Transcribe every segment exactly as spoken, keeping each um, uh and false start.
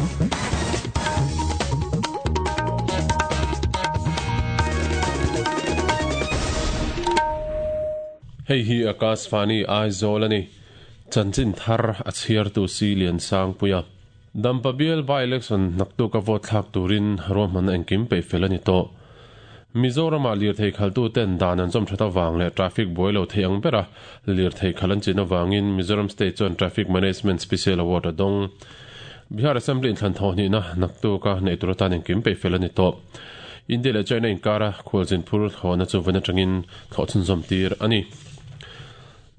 Hei hi Akashvani Aizawl ani chanchin thar a chhiar tu si lian sang puia Dampa bial by election naktu ka vote thlak turin ruahman engkim pe fel ani to Mizoram a lir thei khaltu ten dan an chom thata wang le traffic boilo thei ang bera lir thei khalan chin awangin Mizoram State chuan Traffic Management Special Award adong Bihar Assembly in thlan tho ni na naktu ka nei turatan engkim pe fel ani to India le China inkara khulchin phur thona chu vana tangin thawchun zom tir ani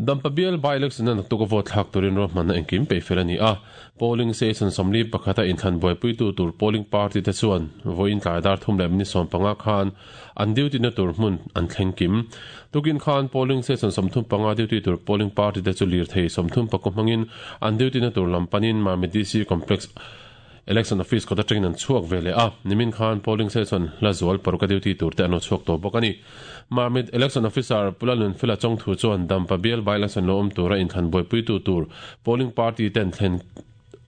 Dampa bial by election na tu ko vote thlak turin ruahman na engkim pe fel ani a polling station somli pakhata inthlan buaipui tu tur polling party te chuan voin tlai dar thum leh minute sawm panga khan an duty na tur hmun an thleng kim tukin khan polling station sawmthum panga duty tur polling party te chu lir thei sawmthum pakua hmangin an duty na tur lampanin Mamit D C complex election office kota tangin an chuak vele a nimin khan polling station la zual paruka duty tur te ano chuak to bawk ani Mamit election officer Pulalun Fila Chong thu chuan Dampa bial by election lo awm tura inthlan buaipui tu tur polling party ten thlen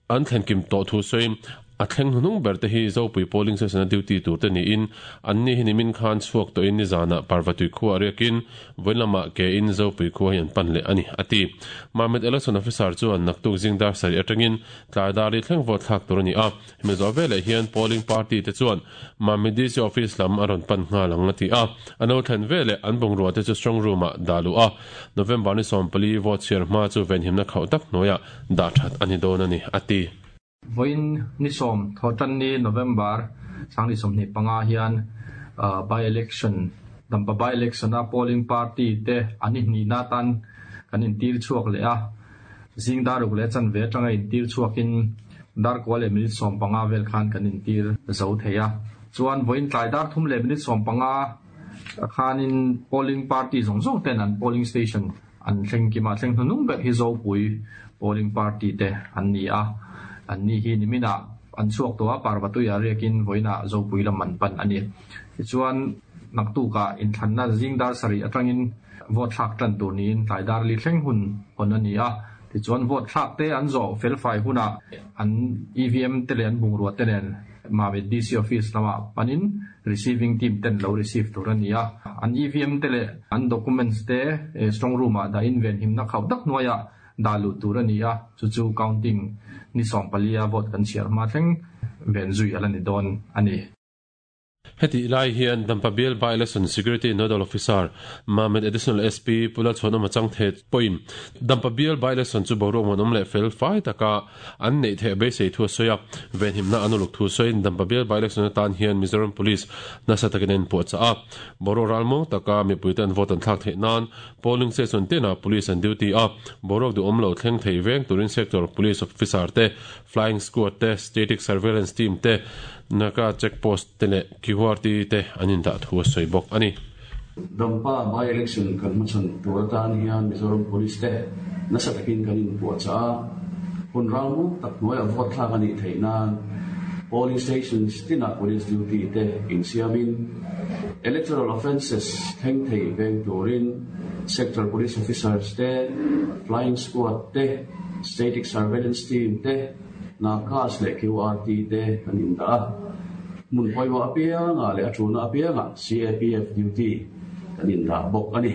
an thlen kim to thu soim a thleng hnung ber te hi Zopui polling station a duty tur te ni in an ni hi nimin khan chuak to in ni zana Parvatui khuwa riakin voinlama ke in Zopui khuwa hian pan le ani ati Mamit election officer chuan naktuk zingdar sari atangin tlai dari thleng vote thlak tur ani a hemi zo vele hian polling party te chuan Mamit D C office lam a rawn pan nghal ang ati a ano thlen vele an bungrua te chu strong room a dalu a November ni sawmpali vote chhiar hma chu venhimna khauh tak hnuaiah dah that ani dawn ani ati Voin ni som thotan ni November sangni somni panga hian by election Dampa by election a polling party te ani ni na tan kan in tir chuak le a zing daruk le chan ve tanga in tir chuakin dar ko le minute som panga vel khan kan in tir zo theia chuan voin tlai dar thum le minute som panga khanin polling party zong zong ten an polling station an thleng kima thleng hnung ber hi zo pui polling party te an ni a an ni hi nimina an chuak to a Parvatui a riakin voina Zopui lam man pan ani chuan naktu ka in thanna zingdar sari atangin vote thlak tan tur niin tlai dar li thleng hun on ani a ti chuan vote thlak te an zo fel fai huna an E V M te le an bungrua te nen Mamit D C office lama panin receiving team ten lo receive tur ani a an E V M te le an documents te strong room a da in ven himna khau dak noya dalu tur ani a chu chu counting ni som palia vote kan chiar ma thleng ven zui alani don ani Heti lai hian Dampa bial by election security nodal officer Mamit additional S P Pula chhona machang the point Dampa bial by election chu boruak muanawm leh fel fai taka an nei the beisei thu soya ven himna anuluk thu soin Dampa bial by election atan hian Mizoram Police nasa takin en pawh cha a boruak ralmawng taka mipui ten vote an thlak theih nan polling station tena police an duty a boruak du awm lo thleng thei veng turin sector police officer te flying squad te static surveillance team te naka checkpost te le Q R T te anin dah thu soi bawk ani Dampa by election kan machan turatan hian Mizoram Police te nasa takin kanin pawh cha hun ralmu tak hnuai a vote thlak ani theih nan polling stations tina police duty te insiamin electoral offences thleng thei veng turin sector police officers te flying squad te static surveillance team te nakas le Q R T te kanin dah mun poiwa apianga le athuna apianga C A P F duty kanin dah bawk ani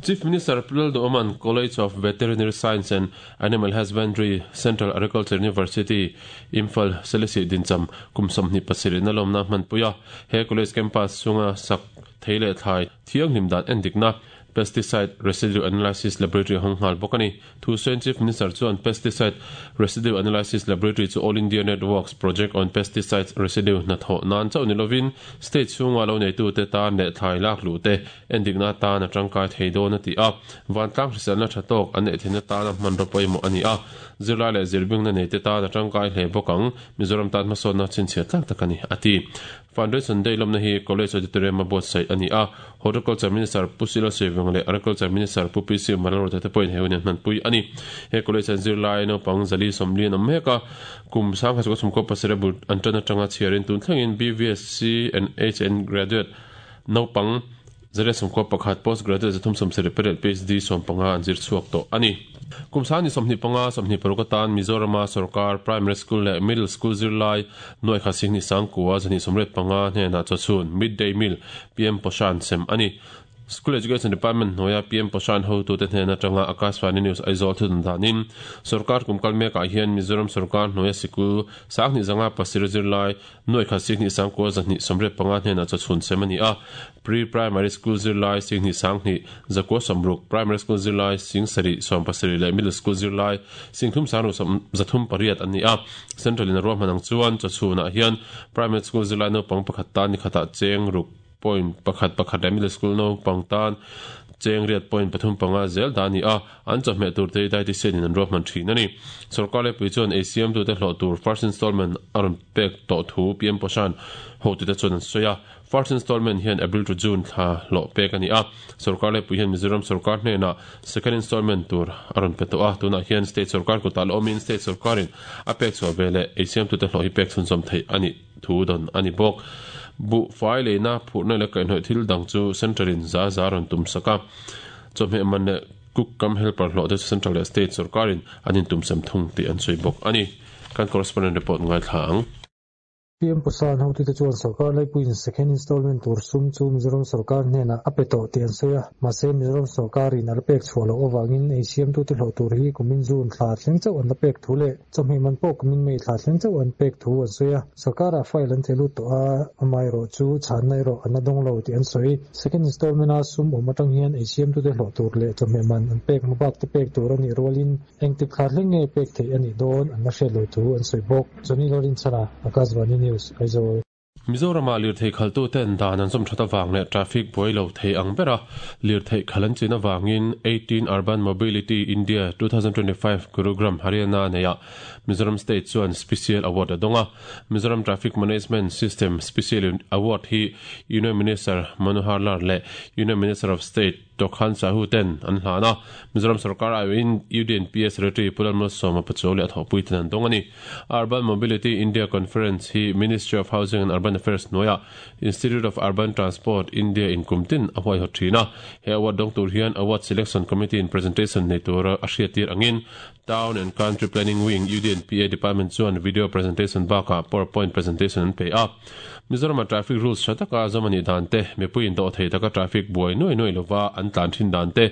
Chief Minister Pulal Oman College of Veterinary Science and Animal Husbandry Central Agriculture University Imphal Selesih Dincham kumsam ni pasiri na lomna hmanpuia he college campus chunga sak theile thlai thiang hlimdan endikna Pesticide Residue Analysis Laboratory honghal bokani thu sen Chief Minister chuan Pesticide Residue Analysis Laboratory chu All India Networks Project on Pesticides Residue na tho nan chau nilovin state chunga lo nei tu te ta ne thlai lak lu te endikna ta na tangkai theidon ati a wantlang hriselna thatok an nei thina ta na hman ropoi mo ani a zirlai le zirbing na nei te ta na tangkai hle bokang Mizoram tan hmasawn na chhinchhiah tlak tak ani ati Foundation Day lomna hi College Auditorium a buatsaih ani a Horticulture Minister Pusila Seveng le Agriculture Minister Pu P C Malro te point he hunin hmanpui ani he college an zirlai naupang zali sawmli an awm mek a kum sang kha chu ko pasarih bul an tan atanga chhiarin tun thlengin B V S C and H N graduate naupang zali sawmkua pakhat postgraduate zathum sawmsarih pariat P H D sawm panga an zir chhuak tawh ani. Kum sani sawmhnih panga sawmhnih paruk atan Mizorama sarkar primary school leh middle school zirlai nuai khat singhnih sangkua zahnih sawmriat panga hnenah chawchhun midday meal P M Poshan sem ani. School Education Department hnuaia P M Poshan hotute hnen atanga Akashvani News Aizawl thudun danin sarkar kumkal mekah hian Mizoram sarkar hnuaia sikul sanghnih zanga pasir zirlai nuai khat singhnih sangkua zahnih sawmriat panga hnenah chawchhun sem ani a. Pre-primary school zirlai singhnih sanghnih zakua sawmruk, primary school zirlai sing sarih sawm pasarih leh middle school zirlai singthum sangru zathum pariat an ni a. Central in a ruahman ang chuan chawchhunah hian primary school zirlai naupang pakhat tan ni khatah cheng ruk point pakhat pakhat leh middle school naupang tan cheng riat point pathum panga zel dah ani a. An chawhmeh tur te dietitian in an ruahman thin ani. Sarkar leh pui chuan A C M tute hlawh tur first installment a rawn pek tawh thu P M Poshan hotute chuan an sawi a. First installment hian April to June thla hlawh pek ani a. Sarkar leh pui hian Mizoram sarkar hnenah second installment tur a rawn pe tawh a. Tunah hian state sarkar kutah la awmin state sarkarin a pek chhuah veleh A C M tute hlawh hi pek chhunzawm theih ani thu dawn ani bawk. Bu fai leina phurna leh kaihhnawih thil dang chu central in za za rawn tum sak a. Chawhmeh man leh cook kam helper hlawh te chu central leh state sarkarin an intum sem thung tih an sawi bawk ani. Kan correspondent report ngai thla ang. P M Poshan hotute chuan sarkar laipuiin second installment tur sum chu Mizoram sarkar hnenah a pe tawh tih an sawi a. Mahse Mizoram sarkarin a la pek chhuah loh avangin A C M tute hlawh tur hi kumin June thla thleng chauh an la pek thu leh chawhmeh man pawh kumin May thla thleng chauh an pek thu an sawi a. Sarkarah file an thehlut tawh a, amaherawh chu chhanna erawh an la dawng lo tih an sawi. Second installment a sum awm atang hian A C M tute hlawh tur leh chawhmeh man an pek hmabak te pek tur anih rualin engtik thla thleng nge pek theih anih dawn an la hriat lo thu an sawi bawk. Johnny Lorinchana, Akashvani News, Aizawl. Mizorama lirthei khaltu ten dan an zawm that awang leh traffic buai lo thei ang bera lirthei khalan chin awangin eighteen Urban Mobility India twenty twenty-five Gurugram Haryana neia Mizoram State chuan Special Award a dawnga. Mizoram Traffic Management System Special Award hi Union Minister Manohar Lal leh Union Minister of State Tokhan Sahu ten an hlana. Mizoram sarkar aiin U D N P S Secretary Pulan Malsawma Pachuau leh a thawhpui ten an dawng ani. Urban Mobility India Conference hi Ministry of Housing and Urban Affairs hnuaia Institute of Urban Transport India in kumtin a huaihawt thina. He award dawng tur hian Award Selection Committee in presentation nei tur a hriattir angin Town and Country Planning Wing U D N P A Department chuan video presentation bakah PowerPoint presentation an pe a. Mizorama traffic rules thataka zawmani dan te mipuiin dawh thei taka traffic buai nuai nuai lova an tlan thin dan te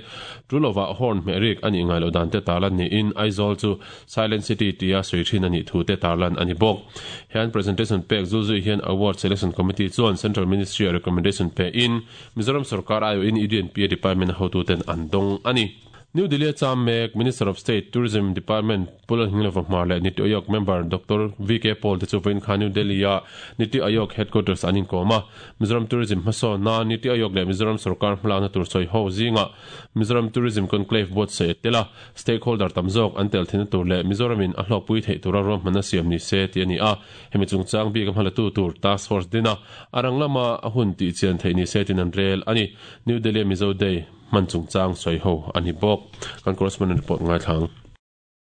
tulova horn hmeh ani ngai lo dan te tarlan niin Aizawl chu Silent City tia sawi thin ani thu te tarlan ani bawk. Hian presentation pek zulzui hian Award Selection Committee chuan Central Ministry recommendation pe in Mizoram sarkar aio in U D N P A Department hotuten an dawng ani. New Delhi cham mek Minister of State Tourism Department Pulan Hinglova Hmar leh Niti Aayog member Doctor V K Paul te chu vawiin khan New Delhi a Niti Aayog headquarters an inkawm a. Mizoram Tourism hmasawn na Niti Aayog leh Mizoram sarkar hmalakna tur sawi ho zinga Mizoram Tourism Conclave board se tela stakeholder tam zawk an tel thina tur leh Mizoramin a hlawhpui theih tura ruahmanna siam ni se ti ani a. Hemi chungchang bik a hmalatu tur task force dina arang lama a hun tih chian theih ni se tin an rel ani. New Delhi Mizo Day man chungchang sawi ho ani bawk. Kan correspondent report ngai thlang.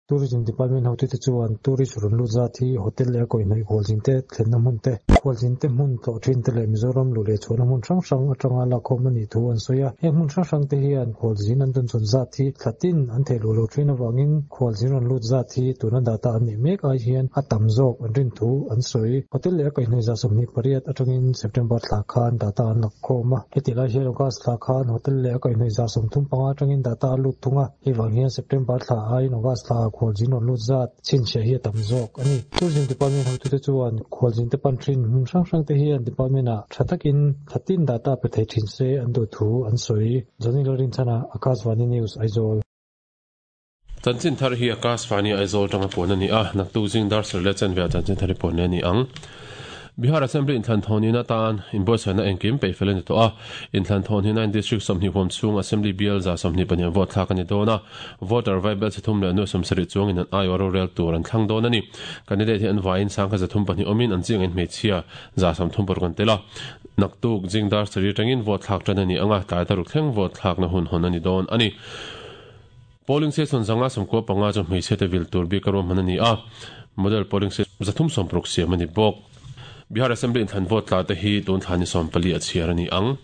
Tourism Department hotute chuan tourist rawn lut zat hi hotel leh a kaihhnawih khualzin te thlenna hmun te khualzin te hmun tlawh thin te leh Mizoram lu leh chhuahna hmun hrang hrang atanga lakhawm ani thu an sawi a. Heng hmun hrang hrang te hian khualzin an dawn chhawn zat hi thlatin an theih luh lo thin awangin khualzin rawn lut zat hi tuna data an nih mek ai hian a tam zawk an rin thu an sawi. Hotel leh a kaihhnawih za sawmhnih pariat atangin September thla khan data an lakhawm a. Heti lai hian August thla khan hotel leh a kaihhnawih za sawmthum panga atangin data a lut thung a. Hei vang hian September thla aiin August thla khualzin rawn lut zat chhinchhiah hi a tam zawk ani. Tourism Department hotute chuan khualzin te pan thin hmun hrang hrang te hian department ah tha takin thlatin data pe thei thin se an duh thu an sawi. Johnny Lorinchana, Akashvani News, Aizawl. Chanchin thar hi Akashvani Aizawl tanga pawn ani a. Naktuk zing dar sarih leh chanve ah chanchin thar hi pawn ani ang. Bihar Assembly in thlan thawn in atan inbuatsaihna engkim peih fel ani tawh a. In thlan thawn hi nine district sawmhnih huam chhung Assembly bial za sawmhnih pahnih vote thlak ani dawn a. Voter vaibel chithum leh nu sawmsarih chuang in an aiawh rorel tur an thlang dawn ani. Candidate hi an vaiin sangkha zathum pahnih awmin an chiang in hmeichhia za sawmthum paruk an tel a. Naktuk jingdar sarih tangin vote thlak tan ani anga tlai taruk thleng vote thlak na hun hawn ani dawn ani. Polling station zanga sawmkua panga chu hmeichhe te vil tur bik a ruahman ani a. Model polling station zathum sawmparuk siam ani bawk. Bihar Assembly in thlan vote tla te hi tun thlan ni sawm pali a chhiar ani ang.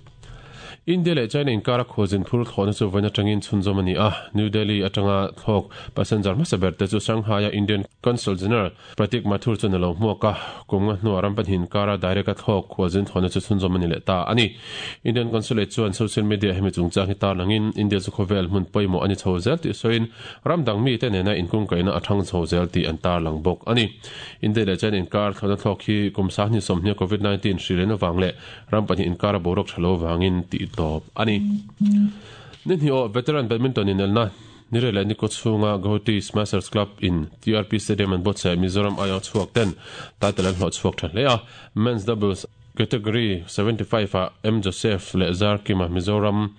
India leh China inkara khualzin phur thlawhna chu vawiin atangin chhunzawm a ni a. New Delhi atanga thlawk passenger hmasa ber te chu Shanghai-a Indian Consul General Pratik Mathur chuan a lo hmuak a. Kum nga hnuah ram pahnih inkara direct-a thlawk khualzin thlawhna chu chhunzawm a ni leh ta a ni. Indian Consulate chuan social media hemi chungchang hi tarlangin India chu khawvel hmun pawimawh a ni chho zel tih sawiin ram dang mite nena inkungkaihna a thang chho zel tih an tarlang bawk a ni. India leh China inkar thlawhna thlawk hi kum sanghnih sawmhnih Covid nineteen hri lehna vang leh ram pahnih inkara boruak tha lo vangin tih tawp a ni. Ni hnih aw veteran badminton inelna Nire leh Niko chhunga Guwahati Smashers Club in T R P Stadium an buatsaih Mizoram aiawh chhuak ten title an hlawh chhuak tha hle a. Men's doubles category seventy five ah M Joseph leh Zar Kima Mizoram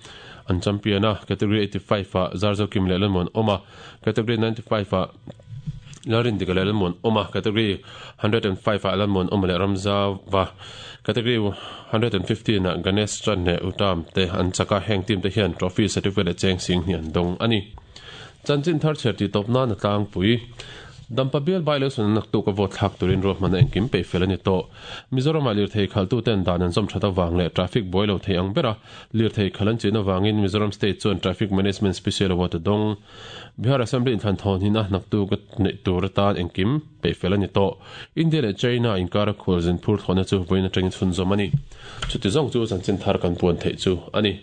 an champion a, category eighty five ah Zarzo Kim leh Lalmuan awm a, category ninety five ah Lalrindika leh Lalmuan awm a, category hundred and five ah Lalmuan awm leh Ramzava, category hundred and fifteen ah Ganesh Chan leh Uttam te an chak a, heng team te hian trophy, certificate leh cheng sing hnih an dawng a ni. Chanchin thar chher tih tawp nan a tlangpui. Dampa bial by election an naktuk a vote thlak turin ruahman a engkim peih fel a ni tawh. Mizoramah lirthei khaltuten dan an zawm that avang leh traffic buai lo thei ang bera lirthei khal an chin avangin Mizoram State chuan Traffic Management Special Award a dawng. Bihar Assembly inthlan thawn hin a naktuk a neih tur atan engkim peih fel a ni tawh. India leh China inkara khualzin phur thlawhna chu vawiin atangin chhunzawm a ni. Chuti zawng chu chanchin thar kan puan theih chu a ni.